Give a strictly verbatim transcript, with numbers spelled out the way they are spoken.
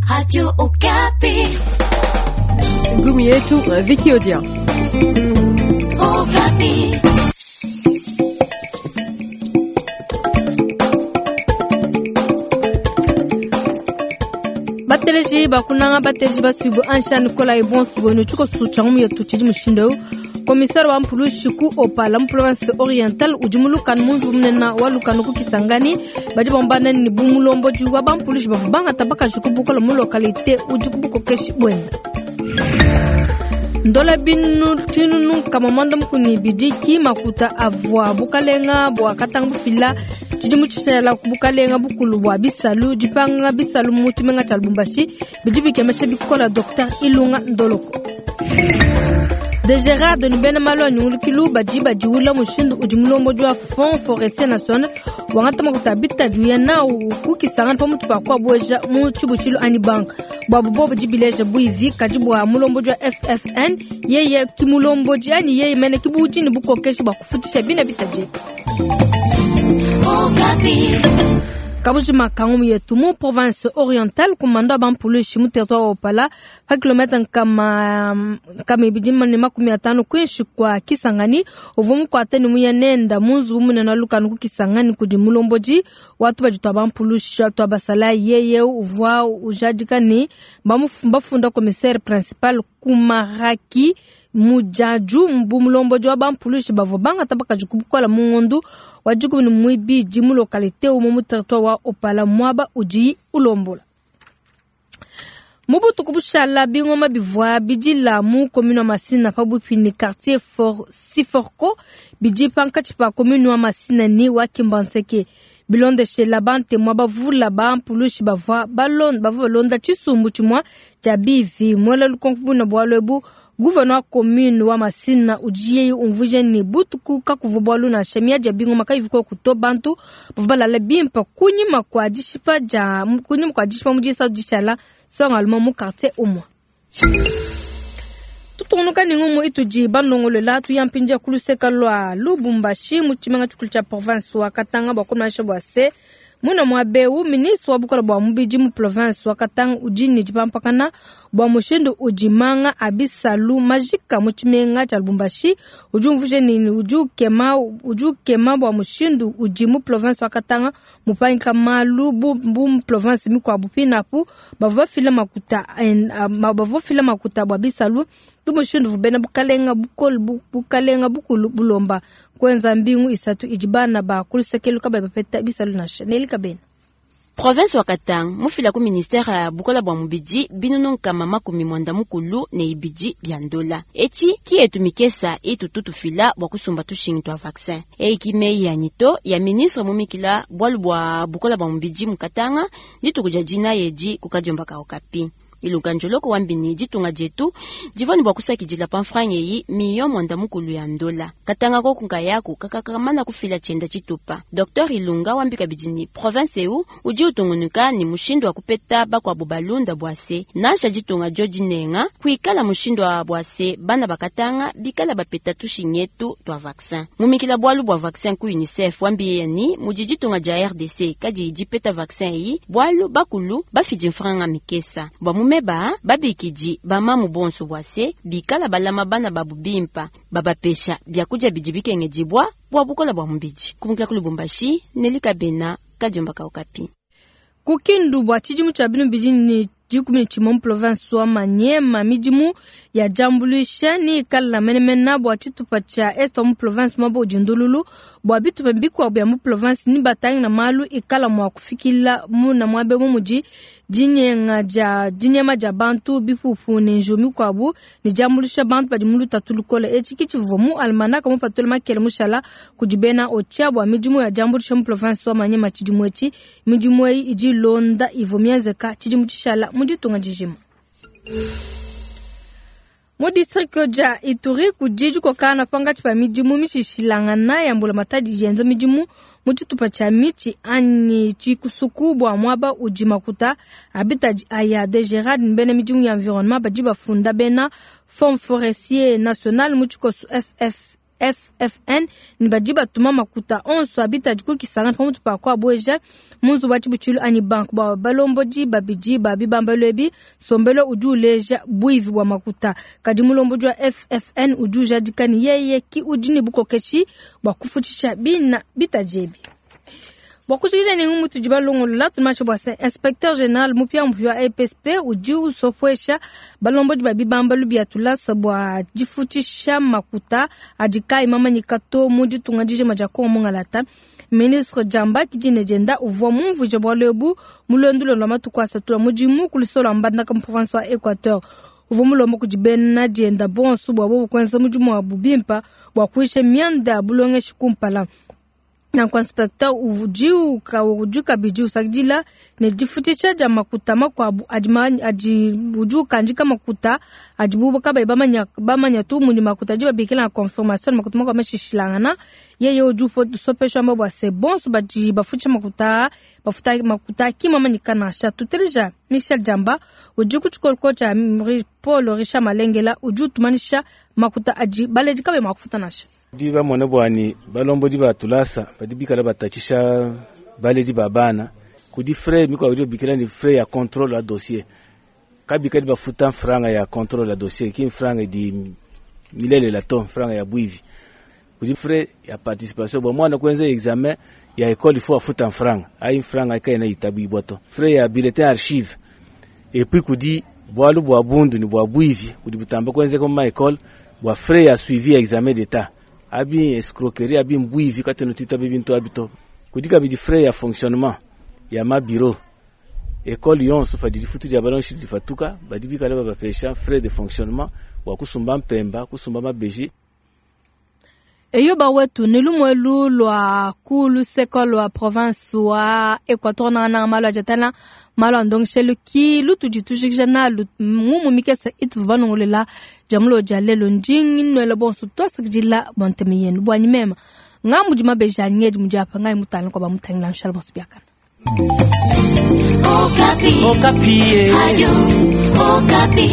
Radio Okapi. Ngumi yetu Vicky Odia. Okapi. Bateleji bakunanga bateleji basuibu ansha Nicolas Ebonsu bwenu tshiko sucha ngumu yetu tshidi mushindo Komisar wa mpulushi ku Opala mu province orientale udi mu lukanu mu nzubu munene wa lukanu ku Kisangani badi bamba ne bu mulombodi wa bampulushi bavua bangata bakaji ku bukola mu localité udi ku bukokeshi bwende. Ndola binu tinunu nkama mwanda mukuni bidiki makuta avua bukalenga bua katanga bufila tshidimu tshishala ku bukalenga bukulu bua bisalu dipanga bisalu mu tshimenga tshia Lubumbashi bidi bikemesha bikola Docteur Ilunga Ndoloko. De Gerard ni bena malu a nyungulukilu badi badiwula mushindu udi mulombodi wa Fonds forestier national wangata makuta bitadi uya nawu ku Kisangani pamutu pa kuabueja mu tshibutshilu anyi banka bwabu bobo dibileja buivi kadi bua mulombodi wa F F N yeye ki mulombodi anyi yeye mene ki budi ne bukokeshi bua kufutisha bina bitadi. Kabujima kangumu yetu mu province orientale kumanda bampulushi mu territoire wa Opala pa kilomètre nkama nkama ibidi ne makumi atano kwinshi kwa Kisangani uvua mukuate ne muya nenda mu nzubu munene wa lukanu ku Kisangani kudi mulombodi watu badi twa bampulushi twa basala yeye uvua ujadika ne bafunda commissaire principal Kumaraki mujaju mbu mulombodi wa bampulushi bavua bangata bakaji kubukola mu ngondu wa dikumi ne muibidi mu localité umue mu territoire wa Opala mwaba udi ulombola. Mu butuku bushala bingoma bivua bidila mu commune wa Masina pabuipi ne quartier for Siforco bidi pankatshi pa commune wa Masina ni wa Kimbanseke. Bilondeshela bante mwa bavula bampulushi bavua balonda bavua balonda tshisumbu tshimue tshia bivi mwela lukonko buna bualu ebu. Gouverneur wa commune wa Masina udi umvuija ne butuku kakuvua bualu nansha miadi ya bingoma kayivuka kuto bantu bavua balala bimpe kunyima kua dishipa dia kunyima kua dishipa mu disatu dishala songaluma mu quartier umue. Tutungunuka ne ngumu itudi bandongolola tuyampindia ku luseka lua Lubumbashi mu tshimenga tshikulu tshia province wa Katanga bua kumanyisha bua se muna mwabeu ministre wa bukola bua mubidi mu province wa Katanga udi ne dipampakana bua mushindu udi manga a bisalu majika mu tshimenga tshia Lubumbashi udi umvuija ne udi ukema udi ukema bua mushindu udi mu province wa Katanga mupangika malu bu, bu mu province mikuabu pinapu bavua bafila makuta bavua bafila makuta bua bisalu tu mushindu bena bukalenga bukulu bukalenga bukulu bulomba kwenza mbingu isatu idi bana ba kulusekelu kabayi bapeta bisalu nansha nelika bena. Province wa Katanga mufila ku ministère ya bukola bua mubidi binunu nkama makumi mwanda mukulu ne ibidi bya ndola. Eci kietu mikesa itu tutufila bua kusumba tushingi twa vaccin. Eiki meyi ya nyito ya ministre mumikila bwalu bua bukola bua mubidi mu Katanga dituku dia dina yedi kukadiomba ka Okapi. Ilunga njoloko wambini ditunga dietu divani bua kusakidila pa mfranga eyi miyo mwanda mukulu ya ndola. Katanga koku nkayaku kakakamana kufila tshienda tshitupa. Docteur Ilunga wambika bidini province eu udi utungunuka ni mushindu wa kupeta bakuabu balunda bwase nansha ditunga dio dinenga kuikala mushindu wa bwase bana bakatanga bikala bapeta tushingetu twa vaccin. Mumikila bwalu bwa vaccin ku UNICEF wambiye ni mudi ditunga dia R D C kadi dipeta vaccin eyi bwalu bakulu bafidi mfranga mikesa bwa mumeba babikiji bamamu bonso bwase bikala balama bana babu bimpa babapesha byakudia bidi bikengedibwa bwa bukola bwa mubidi. Kumukila ku Lubumbashi nelika bena kadiomba ka Okapi. Kukindu bwa tshidimu tshia binu bidi ne dikumi ne tshimue mu province wa Maniema midimu ya diambuluisha ni ikala menemene bua tshitupa tshia est wa mu province mwaba udi ndululu bua bitupa bikuabu bia mu province ni batangi na malu ikala mua kufikila muna mwabe mu mudi dinyenga dia dinyema dia bantu bipupu ne njiwu mikuabu ne diambuluisha bantu badi mu lutatu lukole. Etshi ki tshivua mu almanaka mupatule makele mushala kudi bena Otia bua midimu ya diambuluisha mu province wa Maniema tshidimu etshi. Midimu eyi idi ilonda ivua mienzeka tshidimu tshishala mu ditunga dijima. Mu district dia Ituri kudi dikokana pangatshi pa midimu mishishilangana ya mbulamatadi yenza midimu mu tshitupa tshia mitshi anyi tshikusuku bua muaba udi makuta abitadi aya de Gerard bena midimu ya environnement badi bafunda bena Fonds forestier national mu tshikoso F F F F N ne badi batuma makuta onso a bitadi ku Kisangani pamutu pa kuabueja mu nzubu wa tshibutshilu anyi banque. Bua balombodi babidi ba bibambalu ebi, nsombelu udi uleja buivi bua makuta. Kadi mulombodi wa F F N udi ujadika ne yeye ki udi ne bukokeshi bua kufutshisha bina bitadi ebi. Bua kujikija ne ngumu tudi balongolola, tumashe bua se inspecteur général mupia-mupia wa E P S P udi usopuesha balombodi ba bibambalu bia tulasa bua difutshisha makuta adi kayi mamanyika to mu ditunga dijima dia Kongo Mungalata. Ministre Jamba Kidine Dienda uvua mumvuije bualu ebu mu luendu lua matuku asatu lua mudimu ku lusolo lua Mbandaka mu province wa Equateur. Uvua mulomba kudi bena dienda bonso bua bobu kuenza mudimu wabu bimpa bua kuisha mianda ya bulongeshi kumpala. Nanku inspecteur udi uka-, udi kabidi usakidila ne difutshisha dia makuta makuabu adi ma-, adi, udi ukandika makuta adibu kabayi bamanya, bamanya tu mudi makuta adi babikila na confirmation makuta makuabu mashishilangana. Yeye udi upo-, usopesha mba bua se bonso badi bafutsha makuta, bafuta makuta ki mamanyika nansha. Tutelija Michel Jamba udi ku tshikoloko tshia Paul Richard Malengela udi utumanisha makuta adi baledi kabayi mua kufuta nansha. Di bamone bwani balombodi ba tulasa badi bikala batatshisha baledi ba bana kudi frais mikwa udi bikala ni frais ya contrôle ya dossier kabikadi bafuta franga ya contrôle ya dossier ki franga di milele la to franga ya bwivi kudi frais ya participation bo mwana kwenza examen ya école il faut afuta franga ai franga kaina itabu ibwato frais ya bulletin archive et puis kudi bwalu bwa bundu ni bwa bwivi kudi butamba kwenza comme école bwa frais ya suivi ya examen d'état abi escroquerie abi mbwivi kati no tita bintu abito kudika bidi frais ya fonctionnement ya ma bureau école yonso fa di futu dia balon shidi fatuka badi bikala ba bapesha frais de fonctionnement wa kusumba mpemba kusumba mabeji. Eyo ba wetu ni lumwelu lwa kulu seko lwa province wa Equateur na na malo ajatana malo andongshelu ki lutu jitujikija na lu mumu mikesa itu vanongolela jamulo jalelo ndingi nwele bonso twasakijila bonteme yenu bwanyi mema ngambu jima beja nyeji mujapa ngai mutana kwa bamutangila nshala bonso byakana. Okapi. Okapi. Radio Okapi.